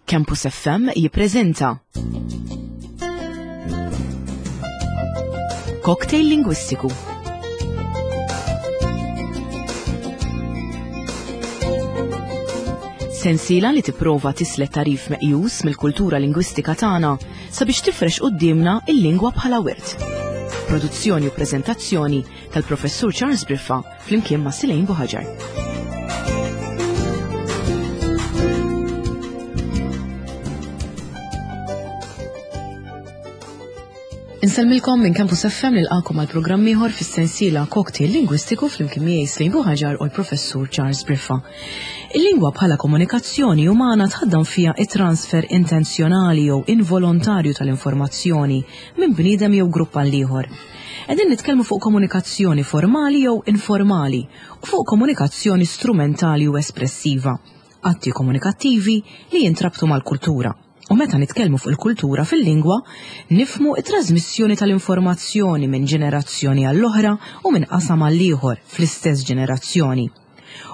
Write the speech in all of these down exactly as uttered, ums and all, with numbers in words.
Campus F M jippreżenta Cocktail Lingwistiku. Sensiela li tipprova tislet tarif meqjus mill-kultura lingwistika tagħna sabiex tifrex quddiemna il-lingwa bħala wirt. Produzzjoni u preżentazzjoni tal-Professur Charles Briffa flimkien ma' Silejn Buħaġar. Insellmilkom minn Campus F M nilqakom għal programm ieħor fis-sensiela Cocktail Lingwistiku flimkien miegħi Silejn Buħaġar u l-Professur Charles Briffa. Il-lingwa bħala komunikazzjoni umana tħaddam fiha it-transfer intenzjonali jew involontarju tal-informazzjoni minn bniedem jew grupp għal ieħor. Qegħdin nitkellmu fuq komunikazzjoni formali jew informali u fuq komunikazzjoni strumentali u espressiva, atti komunikattivi li jintrabtu mal-kultura. U meta nitkellmu fuq il-kultura fil-lingwa, nifmu it-trasmissjoni tal-informazzjoni minn ġenerazzjoni għall-oħra u minn qasam għall-ieħor fl-istess ġenerazzjoni.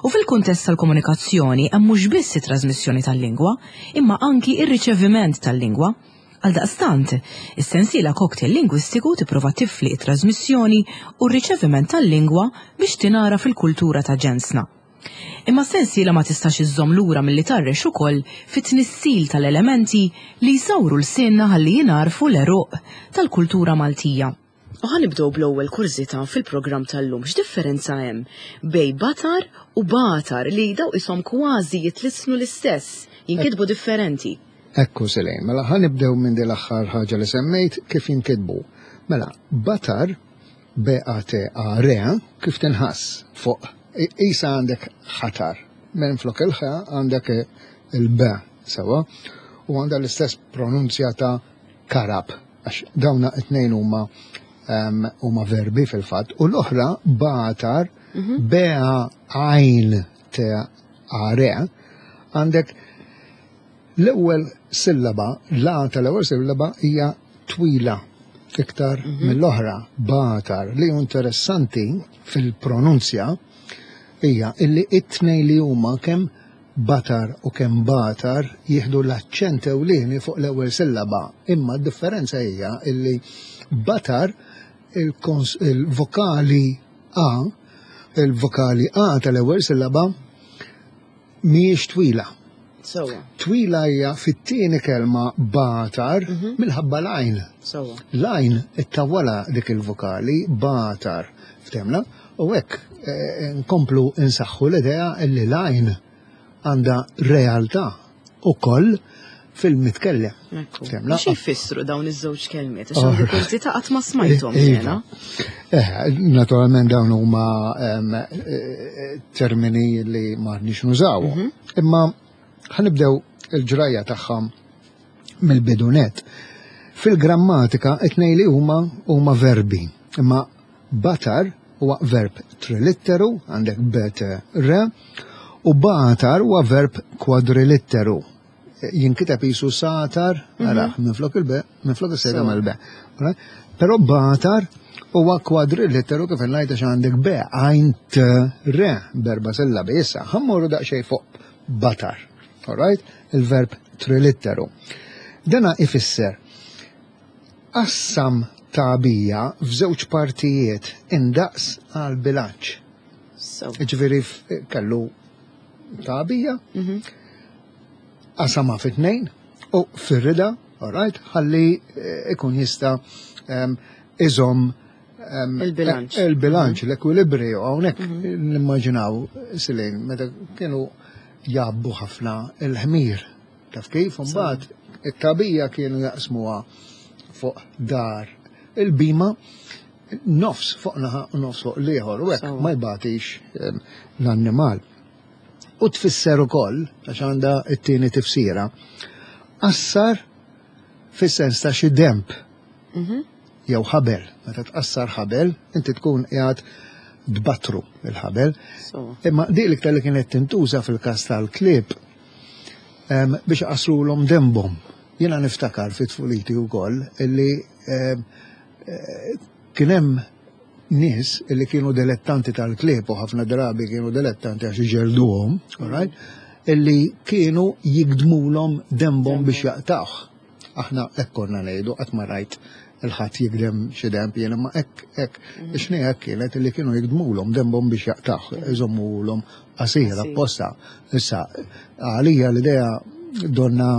U fil-kuntest tal-komunikazzjoni hemm mhux biss it-trasmissjoni tal-lingwa, imma anki ir-riċeviment tal-lingwa. Għaldaqstant, is-sensiela Cocktail Lingwistiku tipprova tifli it-trasmissjoni u r-riċeviment tal-lingwa biex tingħara fil-kultura ta' ġensna. Imma s-sensiela ma tistax iżżomm lura milli tarrex ukoll fit-tnissil tal-elementi li jsawru l-sinna ħalli jingħarfu l-għeruq tal-kultura Maltija. U ħanibdew bl-ewwel kurżità fil-programm tal-lum. X'differenza hemm bejn batar u batar li daw ishom kważi jitlisnu l-istess, jinkitbu differenti? Ekku Silejn, mela ħanibdew minn din l-aħħar ħaġa li semmejt kif jinkitbu. Mela, batar B A T A R kif tinħass fuq isa għandek ħatar, minn flok il-ħ għandek il-B, sewa, u għandha l-istess pronunzja ta' karab, għax dawna it-tnejn huma, ehm, huma verbi fil-fatt, u l-oħra batar, Mhm. B A għajn T A R, għandek l-ewwel sillaba, la tal-ewwel sillaba hija twila iktar Mhm. mill-oħra, batar, li hu interessanti fil-pronunzja hija illi it-tnejn li huma kemm batar u kemm batar jieħdu l-aċċent ewlieni fuq l-ewwel sillaba, imma d-differenza hija illi batar il-kons-, il-vokali A, il-vokali A tal-ewwel sillaba mhijiex twila. Sewwa. Twila hija fit-tieni kelma batar Mhm. minħabba l-għajn. Sewwa. L-għajn ittawwala dik il-vokali batar, ftemna? U hekk, eh, nkomplu insaħħu l-idea illi l-għajn għandha realtà ukoll fil-mitkellem. Ekku. Ftemna? Xi jfissru dawn iż-żewġ kelmiet? Għax Oh. għandi kurżità qatt ma smajthom Iva. jiena. Eh, naturalment dawn huma, ehm, eh, termini li ma rridniex nużawhom. Mhm. Imma ħanibdew il-ġrajja tagħha mill-bidunet. Fil-grammatika it-tnejn li huma huma verbi, imma batar huwa verb trilitteru, għandek B T R, u batar huwa verb kwadrilitteru. Jinkiteb jisu satar, Mhm. ara, minflok il-B, minflok is-sega Sewa. mal-B. Alright? Però batar huwa kwadrilitteru kif ngħid għax għandek B, għajn T R, berba sillabi. Issa, ħammorru daqsxejn fuq batar. Alright? Il-verb trilitteru. Dana ifisser qassam tagħbija f'żewġ partijiet indaqs għal bilanċ. So. Ġifieri f-, kellu tagħbija, Mhm. qasama fi tnejn u firrida, alright, ħalli, eh, ikun jista', ehm, iżomm, ehm, Il-bilanċ. eh, il-bilanċ, Mhm. l-ekwilibrju. Hawnhekk Mhm. nimmaġinaw, Silejn, meta kienu jabbu ħafna il-ħmir. Taf kif? Sewa. Mbagħad it-tagħbija kienu jaqsmuha fuq dar il-bima, nofs fuq naħa u nofs fuq l-ieħor, u hekk Sewa. ma jbatix, ehm, l-annimal. U tfisser ukoll, għax għandha t-tieni tifsira, qassar fis-sens ta' xi demp Mhm. jew ħabel. Meta tqassar ħabel, inti tkun qiegħed tbattru il-ħabel. Sewa. Imma dik l-iktar li kienet tintuża fil-każ tal-klieb, ehm, biex iqassrulhom dembhom. Jiena niftakar fi tfuliti wkoll illi, ehm, eh, kien hemm nies illi kienu dilettanti tal-klieb u ħafna drabi kienu dilettanti għax iġelduhom, all right? Illi kienu jigdmulhom dembhom biex jaqtawh. Aħna hekk konna ngħidu, qatt ma rajt il-ħadd jigdem xi demb jien, imma hekk hekk ix-xniegħa hekk kienet, illi kienu jigdmulhom dembhom biex jaqtawh, iżommulhom qasir apposta. Issa, għalija l-idea donna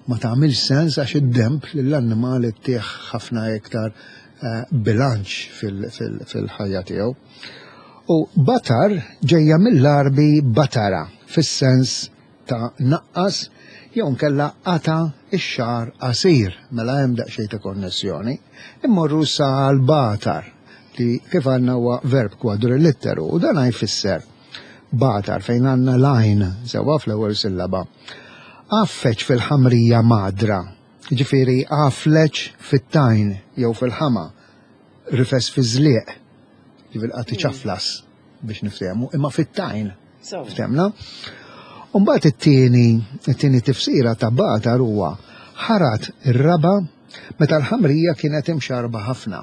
ma tagħmilx sens, għax id-demb lill-annimali ttih ħafna iktar eh, bilanċ fil-ħajja tiegħu. U batar ġejja mill-Arbi batara, fis-sens ta' naqqas jew nkella qata ix-xagħar qasir, mela hemm daqsxejn ta' konnessjoni. Immorru sa l-batar, li kif għandna huwa verb kwadrilitteru, u dan jfisser batar fejn għandna l-għajn sewwa fl-ewwel sillaba. Għaffeċ fil-ħamrija madra, ġifieri għafleċ fit-tajn jew fil-ħama, rifes fi żlieq, ġifieri qed iċaflas biex niftehmu, imma fit-tajn. Ftehmna? Umbagħad it-tieni, it-tieni tifsira ta' batar huwa ħarat ir-raba meta l-ħamrija kienet imxarba ħafna.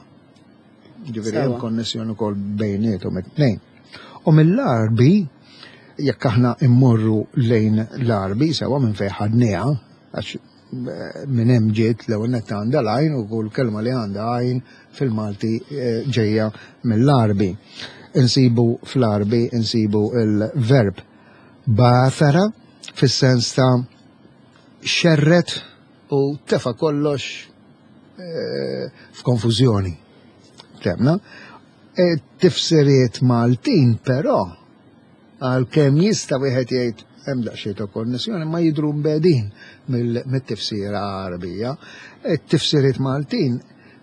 Ġifieri hemm konnessjoni wkoll bejniethom it-tnejn. U mill-Arbi, jekk aħna immorru lejn l-Arbi, sewa minn fejn ħadniha, għax eh, minn hemm ġiet, l-ewwel nett għandha l-għajn u kull kelma li għandha għajn fil-Malti eh, ġejja mill-Arbi. Insibu fl-Arbi, insibu il-verb bathara fis-sens ta' xerret u tefa kollox eh, f'konfużjoni. Temna. E, tifsiriet Maltin però, għalkemm jista' wieħed jgħid hemm daqsxejn ta' konnessjoni, ma jidru mbegħdin mill-tifsira Għarbija. Tifsiriet Maltin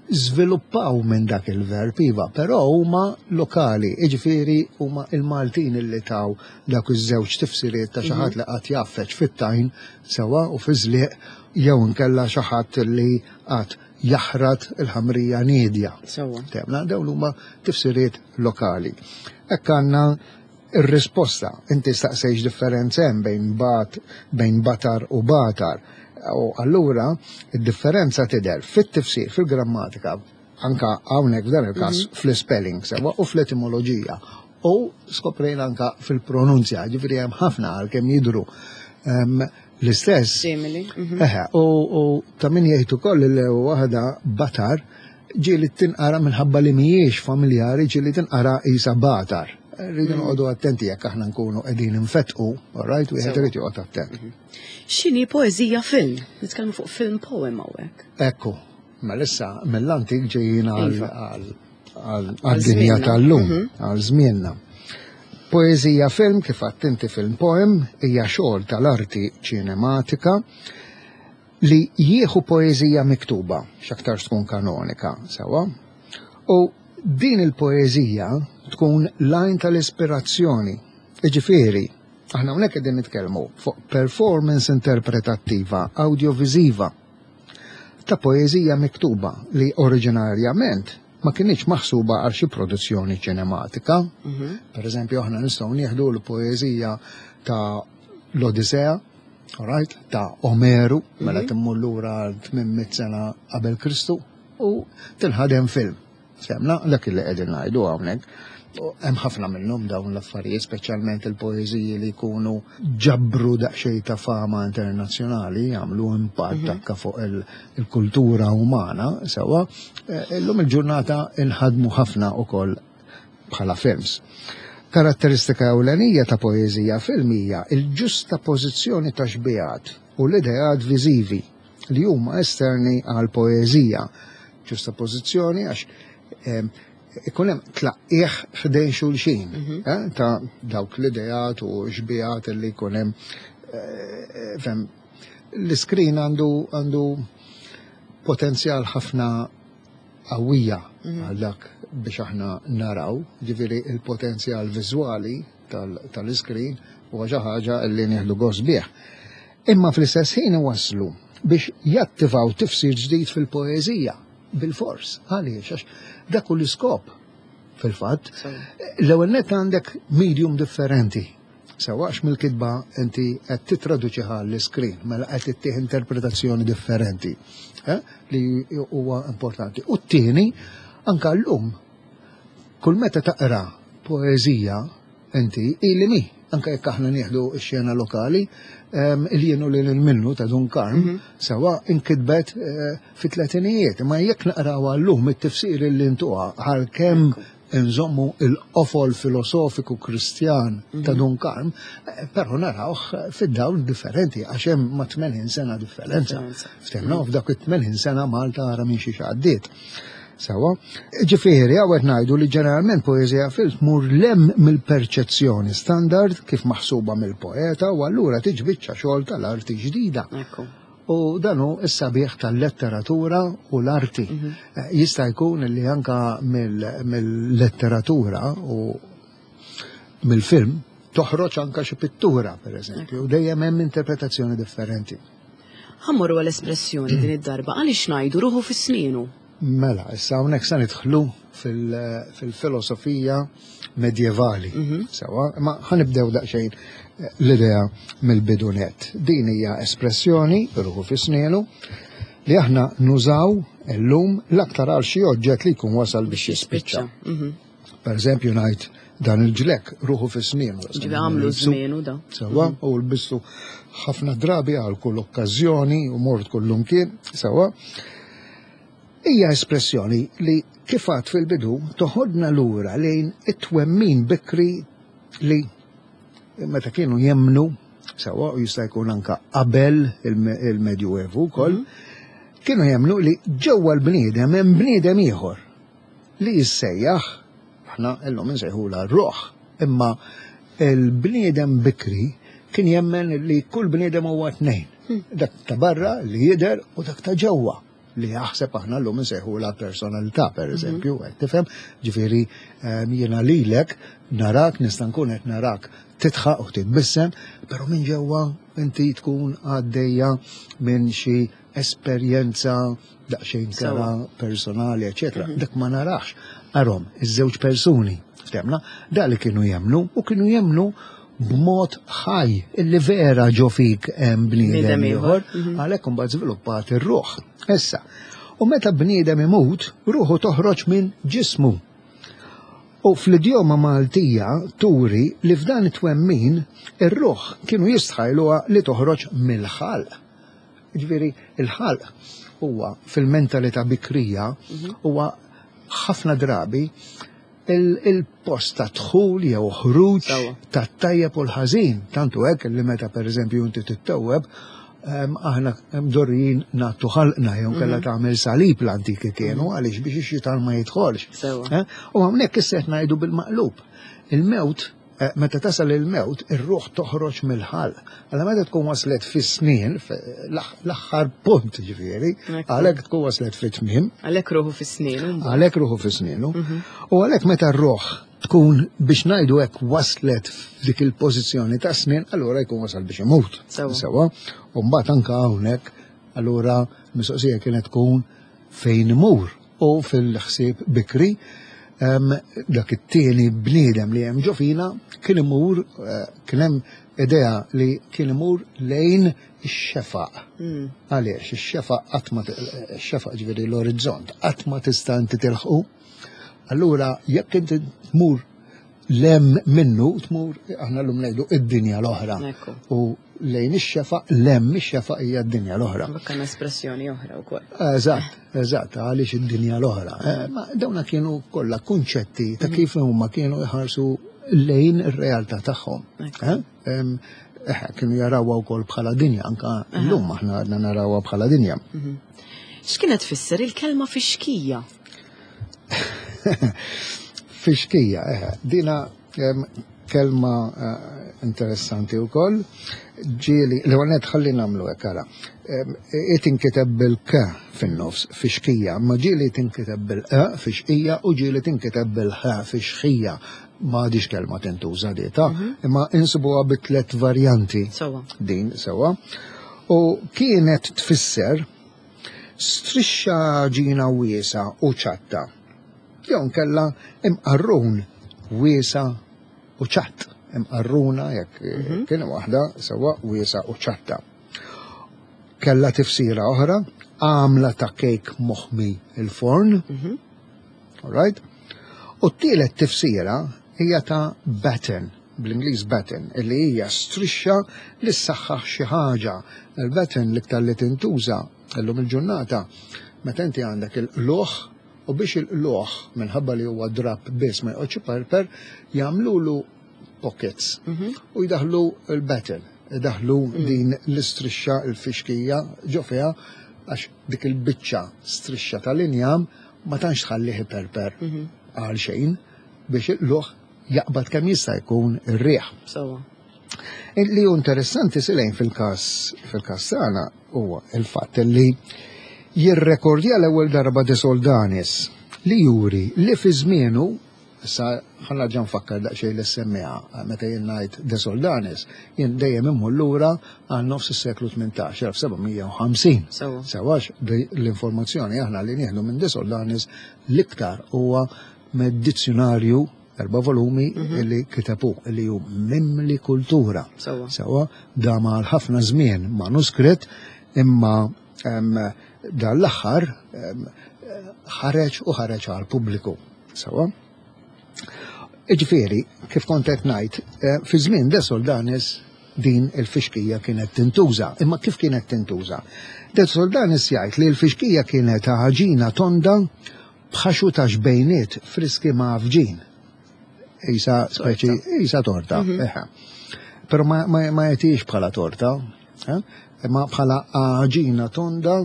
żviluppaw minn dak il-verb, iva, però huma lokali, jiġifieri huma il-Maltin illi taw dak iż-żewġ tifsiriet ta' xi ħadd li qatt jaffeċ fit-tajn sewa u fi żlieq jew inkella xi ħadd li qatt jaħrat il-ħamrija niedja. Sewwa. Temna, dawn huma tifsiriet lokali. Hekk għandna ir-risposta. Inti staqsejx differenza hemm bejn bat, bejn batar u batar. U allura id-differenza tidher fit-tifsir, fil-grammatika, anka hawnhekk f'dan il-każ fl-spelling sewa u fl-etimoloġija. U skoprejna anka fil-pronunzja, ġifieri hemm ħafna, għalkemm jidru em, l-istess. Simili. mhm. Eħe, u, u ta' min jgħid ukoll li waħda batar ġieli tinqara, minħabba li mhijiex familjari, ġieli tinqara isa batar. Rridu noqogħdu attenti jekk aħna nkunu qegħdin infetqu, all right, wieħed Sewa. irid joqgħod attent. X'inhi poeżija film? Nitkellmu fuq film poem hawnhekk. Ekku, mela issa mill-antik ġejjin għal Iva. għal- għal- għad-dinja żmienna. tal-lum, Mhm. għal żmienna. Poeżija film, kif għedt inti, film poem, hija xogħol tal-arti ċinematika li jieħu poeżija miktuba, x'aktar tkun kanonika, sewa, u din il-poeżija tkun l-għajn tal-ispirazzjoni. Iġifieri, aħna hawnhekk qegħdin nitkellmu fuq performance interpretattiva audiovisiva ta' poeżija miktuba li oriġinarjament ma kinitx maħsuba għal xi produzzjoni ċinematika. Mhm. Per eżempju, aħna nistgħu nieħdu l-poeżija ta' l-Odisea, alright, ta' Omeru, mela timmur lura tmien mitt sena qabel Kristu, u tinħadem film. Semna, dak li qegħdin ngħidu hawnhekk. U hemm ħafna minnhom dawn l-affarijiet, speċjalment il-poeżiji li jkunu ġabru daqsxejn ta' fama internazzjonali, jagħmlu impatt anke fuq il- il-kultura umana, sewa, eh, illum il-ġurnata inħadmu ħafna ukoll bħala films. Karatteristika ewlenija ta' poeżija film hija il-ġusta pożizzjoni ta' xbihat u l-ideat viżivi li huma esterni għal poeżija. Ġusta pożizzjoni għax em, ikun hemm tlaqqieħ ħdejn xulxin eh, ta' dawk l-ideat u xbihat li jkun hemm eh, fem, l-iskrin għandu għandu potenzjal ħafna qawwija għal dak biex aħna naraw, ġifieri il-potenzjal viżwali tal-iskrin huwa xi ħaġa li nieħdu gost bih. Imma fl-istess ħin waslu biex jattivaw tifsir ġdid fil-poeżija bil-fors. Għaliex? Għax dak hu l-iskop fil-fatt. L-ewwel net għandek medium differenti. Sewa, għax mill-kitba inti qed titraduċiha l-iskrin, mela qed ittih interpretazzjoni differenti, eh, li huwa importanti. U t-tieni, anka llum, kull meta taqra poeżija inti ili mi Anka jekk aħna nieħdu x-xena lokali, il-Jien u lil hinn minnu ta' Dun Karm, mhm. sewwa, inkitbet eh, fit-tletinijiet. Ma jekk naqraw għallum it-tifsir li ntuha, għalkemm nżommu il-qofol filosofiku Kristjan ta' mhm. Dun Karm, eh, però narawh fid-dawl differenti, għax hemm ma' tmenin sena differenza. Ftemna, f'dak it-tmenin sena Malta ara minn xi għaddiet. Sewwa, ġifieri, hawn ngħidu li ġeneralment poeżija fil tmur 'l hemm mill-perċezzjoni standard kif maħsuba mill-poeta u allura tiġi biċċa xogħol tal-arti ġdida. U dan hu s-sabiħ tal-letteratura u l-arti. Mhm. Eh, jista' jkun li anka mill-letteratura u mill-film toħroġ anka xi pittura, per eżempju, u dejjem hemm interpretazzjoni differenti. Ħa mmorru għal-espressjoni din id-darba, għaliex ngħidu "ruħu fi snienu"? Mela, issa hawnhekk sa nidħlu fil-filosofija medjevali. Mhm. Sewwa, ma ħa nibdew daqsxejn eh, l-idea mill-bidu nett. Din hija espressjoni, "ruħu fi snienu", li aħna nużaw illum l-aktar għal xi oġġett li jkun wasal biex jispiċċa. Mhm. Per eżempju, ngħid dan il-ġlekk ruħu fi snienu. Ġifieri għamlu żmienu da. Sewwa, u lbistu ħafna drabi għal kull okkażjoni u mort kullumkien, sewwa. Hija espressjoni li, kif għedt fil-bidu, toħodna lura lejn it-twemmin bikri li meta kienu jemnu, sewwa, u jista' jkun anka qabel il-Medjuevu wkoll, mhm. kienu jemnu li ġewwa l-bniedem hemm bniedem ieħor li jissejjaħ, aħna illum insejħula r-ruħ, imma il-bniedem bikri kien jemmen li kull bniedem huwa tnejn. Hmm. Dak ta' barra li jidher u dak ta' ġewwa li jaħseb aħna llum insejħu la personalità, per mhm. eżempju, qed tifhem, ġifieri ehm, jiena lilek narak, nista' nkun qed narak tidħaq u titbissem, però minn ġewwa inti tkun għaddejja minn xi esperjenza daqsxejn kera personali, eċetera. Mhm. Dak ma narax. Arom, iż-żewġ persuni, ftemna, da li kienu jemnu u kienu jemnu b'mod ħaj illi vera ġo fik hemm bniedem ieħor, mhm. għalhekk imbagħad żviluppat ir-ruħ. Issa, u meta bniedem imut, ruħu toħroġ minn ġismu. U fl-idjoma Maltija turi li f'dan it-twemmin ir-ruħ kienu jistħajluha li toħroġ mill-ħalq. Ġifieri, il-ħalq huwa fil-mentalità bikrija mhm. huwa ħafna drabi il-post ta' dħul jew ħruġ ta' tajjeb u l-ħażin. Tantu hekk li meta, per eżempju, inti tittewweb, aħna mdorrijin ngħattu ħalqna jew kellha mhm. tagħmel salib, l-antiki kienu, mhm. għaliex biex ix-xitan ma jidħolx. Eh? U hawnhekk issa qed ngħidu bil-maqlub. Il-mewt, eh, meta tasal il-mewt, ir-ruħ toħroġ mill-ħalq. Għalla meta tkun waslet fis-snien, l-aħħar punt ġifieri, għalhekk tkun waslet fit-tmiem. Għalhekk ruħu fis-snienu. Għalhekk ruħu fis-snienu. Mhm. U għalhekk meta r-ruħ tkun, biex ngħidu hekk, waslet f'dik il-pożizzjoni ta' snien, allura jkun wasal biex imut. Sewwa. U mbagħad anka hawnhekk allura mistoqsija kienet tkun fejn imur, u fil-ħsieb bikri dak it-tieni bniedem li hemm ġo fina kien imur, eh, kien hemm idea li kien imur lejn ix-xefaq. Hmm. Għaliex ix-xefaq qatt ma, ix-xefaq ġifieri l-orizzont, qatt ma tista' inti tilħqu. Allura jekk inti tmur 'l hemm minnu, tmur, aħna llum ngħidu, id-dinja l-oħra. U lejn ix-xefaq, 'l hemm ix-xefaq hija d-dinja l-oħra. Bakkan espressjoni oħra wkoll. Eżatt, eżatt, għaliex id-dinja l-oħra. Eh, ma dawna kienu kollha kunċetti ta' kif huma kienu jħarsu lejn ir-realtà tagħhom. Eh? Eh, kienu jarawha wkoll bħala dinja, anka llum aħna għadna narawha bħala dinja. Mhm. X'kienet tfisser il-kelma "fixkija"? "Fixkija", eh, dina kelma eh, interessanti u koll. Ġieli, l-għonet ħalli nagħmlu ara. Tinkiteb bil-k fin-nofs, "fixkija", ma ġieli tinkiteb bil-e, "fixqija", u ġieli tinkiteb bil-ħ, "fixħija". Ma diġ kelma tintuża dieta, mhm. imma insibuha bi tlet varjanti. Din, sewwa. U kienet tfisser strixxa għaġina wiesgħa u ċatta. Jew kella imqarrun wiesa' u ċatt. Imqarruna jekk mhm. kien waħda, sewwa, wiesgħa u ċatta. Kella tifsira oħra, għamla ta' kejk moħmi il-forn. Mhm. All right? U t-tielet tifsira hija ta' batten. bl-Ingliż batten, illi hija strixxa li ssaħħaħ xi ħaġa. Il-batten l-iktar li tintuża illum il-ġurnata meta inti għandek il-qlugħ, u biex il-qlugħ minħabba li huwa drab biss ma joqgħodx iperper, jagħmlulu pockets u jdaħlu il-batten, jdaħlu din l-istrixxa, il-fixkija ġo fiha, għax dik il-biċċa strixxa tal-injam ma tantx tħallih iperper għal xejn biex il-qlugħ jaqbad kemm jista' jkun ir-riħ. Sewwa. Li hu interessanti silejn fil-każ fil-każ tagħna huwa il-fatt li jirrekordja l-ewwel darba De Soldanis li juri li fi żmienu. Issa ħa nerġa' nfakkar daqsxejn li semmiha, meta jien ngħid De Soldanis, jien dejjem immur lura għal nofs is-seklu tmintax, elf seba' mija u ħamsin. Sewwa. Sewwa, għax l-informazzjoni aħna li nieħdu minn De Soldanis l-iktar huwa mid-dizzjonarju erba' volumi li kitebu, li hu mimli kultura. Sewwa. Sewwa, dam għal ħafna żmien manuskritt, imma em, dan l-aħħar em, ħareġ u ħareġ għal pubbliku. Sewwa. Iġifieri, kif kont qed ngħid, eh, fi żmien De Soldanis din il-fixkija kienet tintuża. Imma kif kienet tintuża? De Soldanis jgħid li l-fixkija kienet ħaġina tonda b'ħaxu ta' xbejniet friski mgħaffġin. Isa speċi, isa torta. Eħe. Pero ma, ma, ma jagħtix bħala torta, eh? Imma bħala għaġina tonda,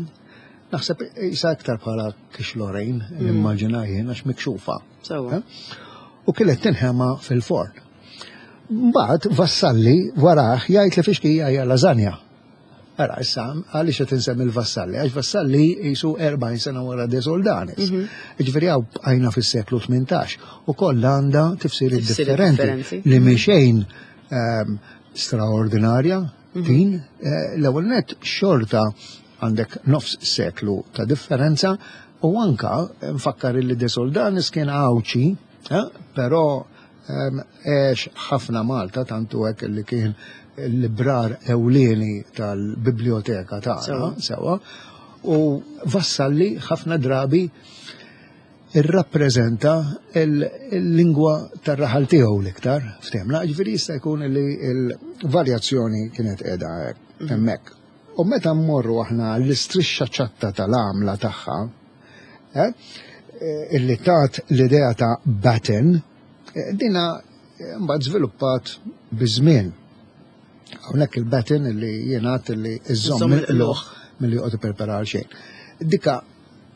naħseb isa aktar bħala quiche Lorraine, nimmaġina jien, għax mikxufa. Sewwa. Eh? U kienet tinħema fil-forn. Mbagħad Vassalli warah jgħid li fixkija hija lasagna. Ara, issa, għaliex qed insemmi l-Vassalli? Għax Vassalli jisu erbgħin sena wara De Soldanis. Ġifieri hawn bqajna fis-seklu tmintax u kollha għandha tifsiriet Tifsiriet differenti differenti. li mhi ehm, straordinarja din eh, l-ewwel net xorta għandek nofs seklu ta' differenza u anka nfakkar li De Soldanis kien Għawdxi, eh, però ehm, għex ħafna Malta, tantu hekk li kien il-librar ewlieni tal-biblioteka tagħna, Sewwa. sewwa, u Vassalli ħafna drabi irrappreżenta il-lingwa tar-raħal tiegħu l-iktar, ftehimna, ġifieri jista' jkun li l-varjazzjoni kienet qiegħda hemmhekk. U meta mmorru aħna l-istrixxa ċatta tal-għamla tagħha, eh, eh, illi tat l-idea ta' batten, eh, dina eh, mbagħad żviluppat biż-żmien. Hawnhekk il-batten illi jingħad illi iżomm Iżomm il-qlugħ milli joqgħod iperper għal xejn. Dika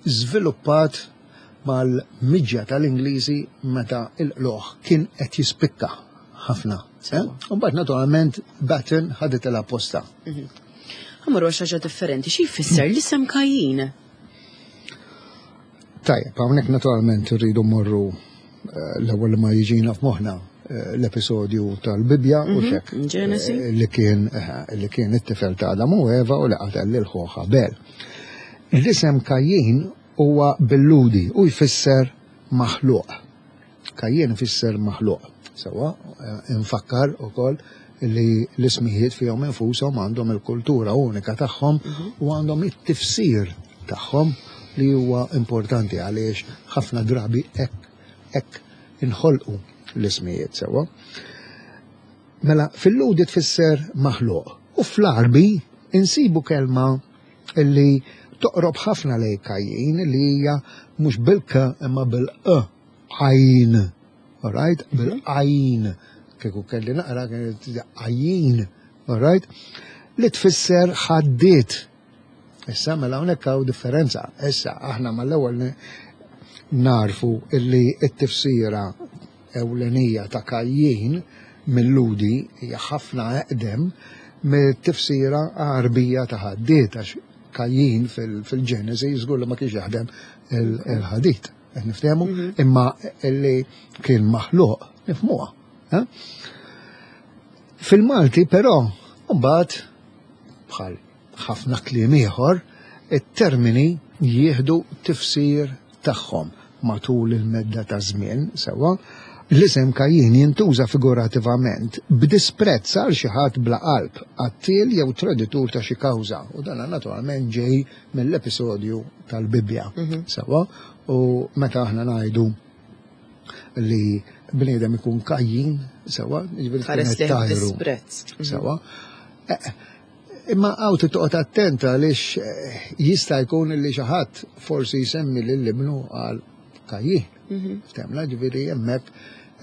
żviluppat mal-miġja tal-Ingliżi meta il-qlugħ kien qed jispikka ħafna. Eh? U mbagħad naturalment batten ħadet il-apposta. Ħa mmorru għal xi ħaġa differenti. Xi jfisser l-isem Kajjin? Tajjeb, hawnhekk naturalment rridu mmorru eh, l-ewwel li ma jiġina f'moħħna eh, l-episodju tal-Bibja u xek. Ġenesi. eh, Li kien eh, li kien it-tifel ta' Adam u Eva u li qatel lil ħuh Abel. L-isem Kajjin huwa bil-Lhudi u jfisser maħluq. Kajjin ifisser maħluq. Sewwa, eh, nfakkar ukoll li l-ismijiet fihom infushom għandhom il-kultura unika tagħhom u għandhom it-tifsir tagħhom li huwa importanti għaliex ħafna drabi hekk hekk inħolqu l-ismijiet, sewwa. Mela fil-Lhudi tfisser maħluq u fl-Arbi insibu kelma illi toqrob ħafna lej Kajjin, li hija mhux bil-k imma bil-e, għajn. Alright? Bil-għajn. Kieku kelli naqra kienet għajjin. Alright? Li tfisser ħaddied. Issa mela hawnhekk hawn differenza. Issa aħna mal-ewwel narfu illi t-tifsira ewlenija ta' Kajjin mill-Lhudi hija ħafna eqdem mit-tifsira Għarbija ta' ħaddied, għax Kajjin fil-Ġenesi żgur li ma kienx jaħdem il-ħadid. Qed niftehmu, imma illi kien maħluq nifhmuha. Eh? Fil-Malti però mbagħad, bħal ħafna kliem ieħor, it-termini jieħdu tifsir tagħhom matul il-medda ta' żmien, sewwa. L-isem Kajjin jintuża figurativament b'disprezz għal xi ħadd bla qalb, qattiel jew traditur ta' xi kawża. U dan naturalment ġej mill-episodju tal-Bibbja. Sewwa, u meta aħna ngħidu li bniedem ikun kajjin, sewwa, jiġifieri tkun Ħares qed lejh tajru. disprezz. Mhm. Sewwa. Eh, Imma hawn toqgħod attenta għaliex eh, jista' jkun li xi ħadd forsi jsemmi lil ibnu għal kajjin. Mhm. Ftemla, ġifieri hemmhekk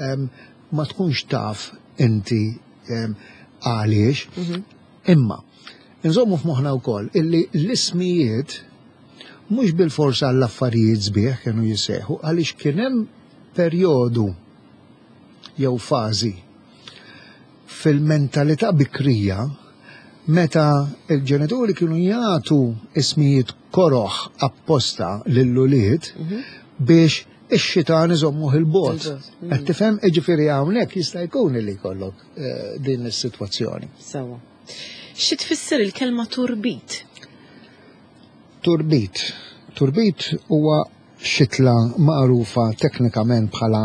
em, ma tkunx taf inti em, għaliex. Mhm. Imma, nżommu f'moħħna wkoll illi l-ismijiet mhux bil-forsa għall-affarijiet sbieħ kienu jissejħu għaliex kien hemm perjodu jew fażi fil-mentalità bikrija meta il-ġenituri kienu jagħtu ismijiet koroħ apposta lill-ulied biex ix-xitan iżommuh il-bogħod. Il-bogħod, mm. Qed tifhem, jiġifieri hawnhekk jista' jkun li jkollok eh, din is-sitwazzjoni. Sewwa. Xi tfisser il-kelma turbit? Turbit. Turbit huwa xitla magħrufa teknikament bħala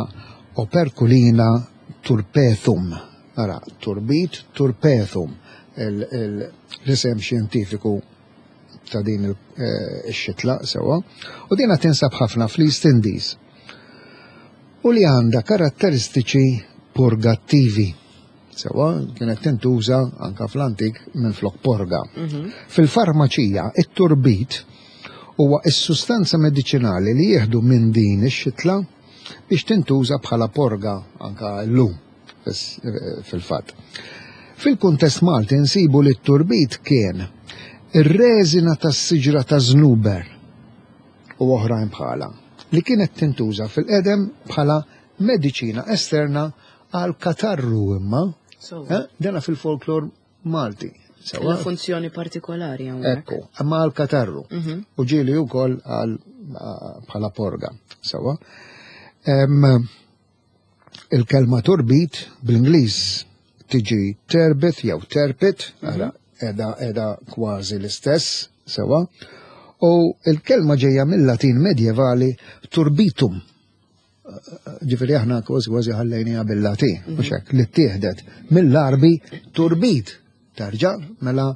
Operculina turpethum. Ara, turbit, turpethum, il- il- l-isem xjentifiku ta' din il- eh, ix-xitla sewwa. U dina tinsab ħafna fl-East Indies. U li għandha karatteristiċi purgattivi. Sewwa, kienet tintuża anka fl-antik minn flok porga. Fil-farmaċija, it-turbit huwa is-sustanza mediċinali li jieħdu minn din ix-xitla biex tintuża bħala porga anka llum fis- fil-fatt. Fil-kuntest Malti nsibu li t-turbit kien ir-reżina tas-siġra ta' żnuber u oħrajn bħala li kienet tintuża fil-qedem bħala mediċina esterna għal katarru imma, Sewwa. eh, dena fil-folklor Malti. Sewwa? Kellha funzjoni partikolari hawnhekk. Ekku, imma għal katarru. Mhm. U ġieli wkoll għal bħala porga. Sewwa. Em, Il-kelma turbit bl-Ingliż tiġi turbit jew terpit, ara, edha edha kważi l-istess, sewwa. U il-kelma ġejja mill-Latin medjevali turbitum. Ġifieri aħna kważi kważi ħallejniha bil-Latin, mhux hekk, li ttieħdet mill-Arbi turbit. Terġa' mela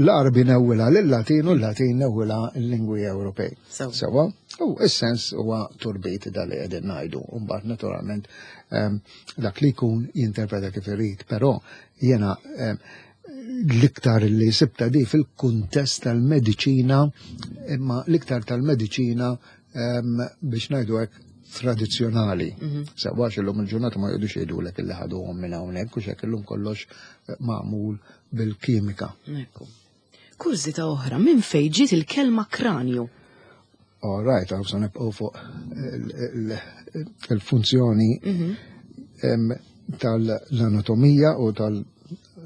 l-Arbi newwilha lill-Latin u l-Latin newwilha l-lingwi Ewropej. Sewwa. Sewwa, u is-sens huwa turbit da li qegħdin ngħidu. U mbagħad naturalment em, dak li jkun jinterpreta kif irid, però jiena em, l-iktar li sibta di fil-kuntest tal-mediċina, imma l-iktar tal-mediċina em, biex ngħidu hekk tradizzjonali. Sewwa illum il-ġurnata ma jgħidux jgħidulek illi ħaduhom minn hawnhekk u x'hekk illum kollox eh, magħmul bil-kimika. Ekku. Kurżità oħra, minn fejn ġiet il-kelma kranju? All right, għaw sa nibqgħu fuq il- il- il-funzjoni em, tal-anatomija u tal-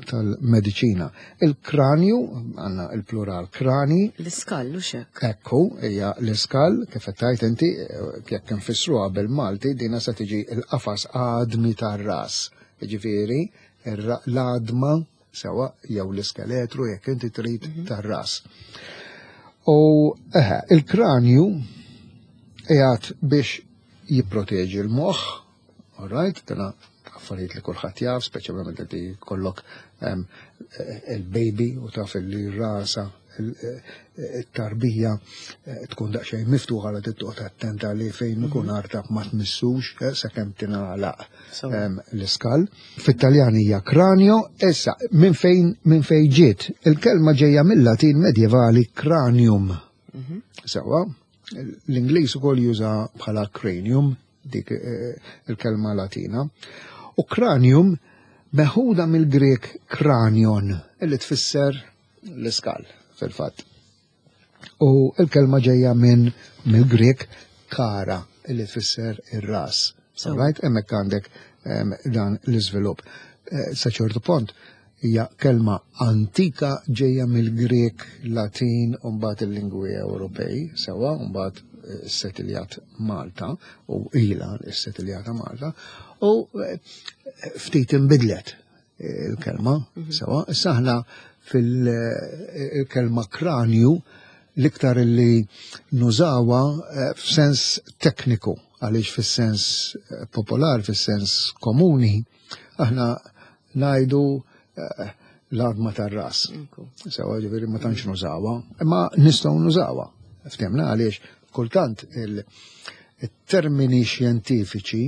tal-mediċina. Il-kranju, għandna il-plural krani, L-iskall u xek. Ekku, hija l-iskal, kif qed tgħid inti, eh, jekk nfissruha bil-Malti, dina se tiġi l-qafas għadmi tar-ras. Jiġifieri, ir- l-għadma sewwa jew l-iskeletru jekk inti trid tar-ras. U eħe, il-kranju qiegħed biex jipproteġi l-moħħ, all right, dana affarijiet li kulħadd jaf, speċjalment li jkollok em, eh, il-baby u taf li rasa il-tarbija eh, tkun daqsxejn miftuħa li toqgħod attenta li fejn ikun artab ma tmissux eh, sakemm tingħalaq Sewwa. em, l-iskal. Fit-Taljan hija cranio, issa minn fejn minn fejn ġiet. Il-kelma ġejja mill-Latin medjevali cranium. Sewwa, l-Ingliż ukoll juża bħala cranium, dik eh, il-kelma Latina. U cranium meħuda mill-Grek kranion, illi tfisser l-iskal fil-fatt. U il-kelma ġejja minn mill-Grek kara, illi tfisser ir-ras. So. Right? Hemmhekk għandek em, dan l-iżvilupp. Eh, Sa ċertu punt hija kelma antika ġejja mill-Grek, Latin u mbagħad il-lingwi Ewropej, sewwa, u mbagħad eh, setiljat Malta u ila s-setiljata Malta u eh, ftit inbidlet eh, il-kelma, sewwa. Issa aħna fil-kelma kranju l-iktar li nużawha eh, f'sens tekniku, għaliex fis-sens eh, popolar, fis-sens komuni, aħna ngħidu eh, l-għadma tar-ras. Ekku. Sewwa ġifieri ma tantx nużawha, imma nistgħu nużawha. Ftemna għaliex kultant il-termini xjentifiċi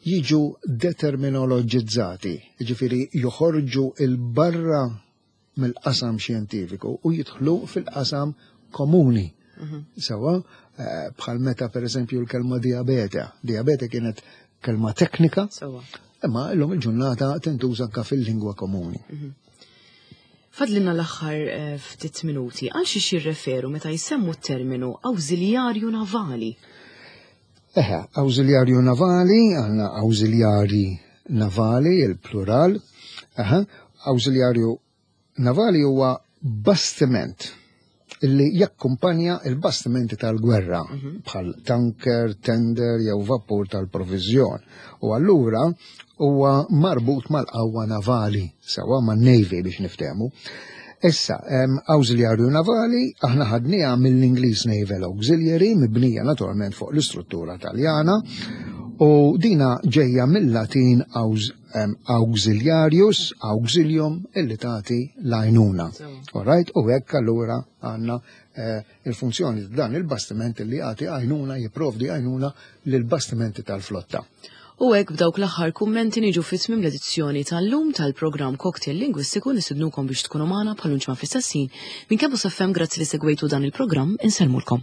Jiġu determinoloġizzati, ġifieri joħorġu 'il barra mill-qasam xjentifiku u jidħlu fil-qasam komuni. Mhm. Sewwa, eh, bħal meta, per eżempju, l-kelma diabete. Diabete kienet kelma teknika, imma illum il-ġurnata tintuża anka fil-lingwa komuni. Mhm. Fadlilna l-aħħar eh, ftit minuti, għal xiex jirreferu meta jsemmu terminu awżiljarju navali? Eħe, awżiljarju navali, għandna awżiljari navali, il-plural. Eħe, awżiljarju navali huwa bastiment illi jakkumpanja il-bastimenti tal-gwerra mhm. bħal tanker, tender jew vapur tal-provizjon. U allura huwa marbut mal-qawwa navali, sewwa, man-Navy biex niftehmu. Issa, awżiljarju navali, aħna ħadniha mill-Ingliż Naval Auxiliary, mibnija naturalment fuq l-istruttura Taljana, u dina ġejja mill-Latin auxiliarius, auxilium, illi tagħti l-għajnuna. Alright, u hekk allura għandna eh, il-funzjoni dan il-bastiment li jagħti għajnuna, jipprovdi għajnuna lill-bastimenti tal-flotta. U hekk, b'dawk l-aħħar kummenti, niġu fi tmiem l-edizzjoni tal-lum tal-programm Cocktail Lingwistiku. Nistednukom biex tkunu magħna bħal ġimgħa fl-istess ħin. Minn Campus F M, grazzi li segwejtu dan il-programm, insellmulkom.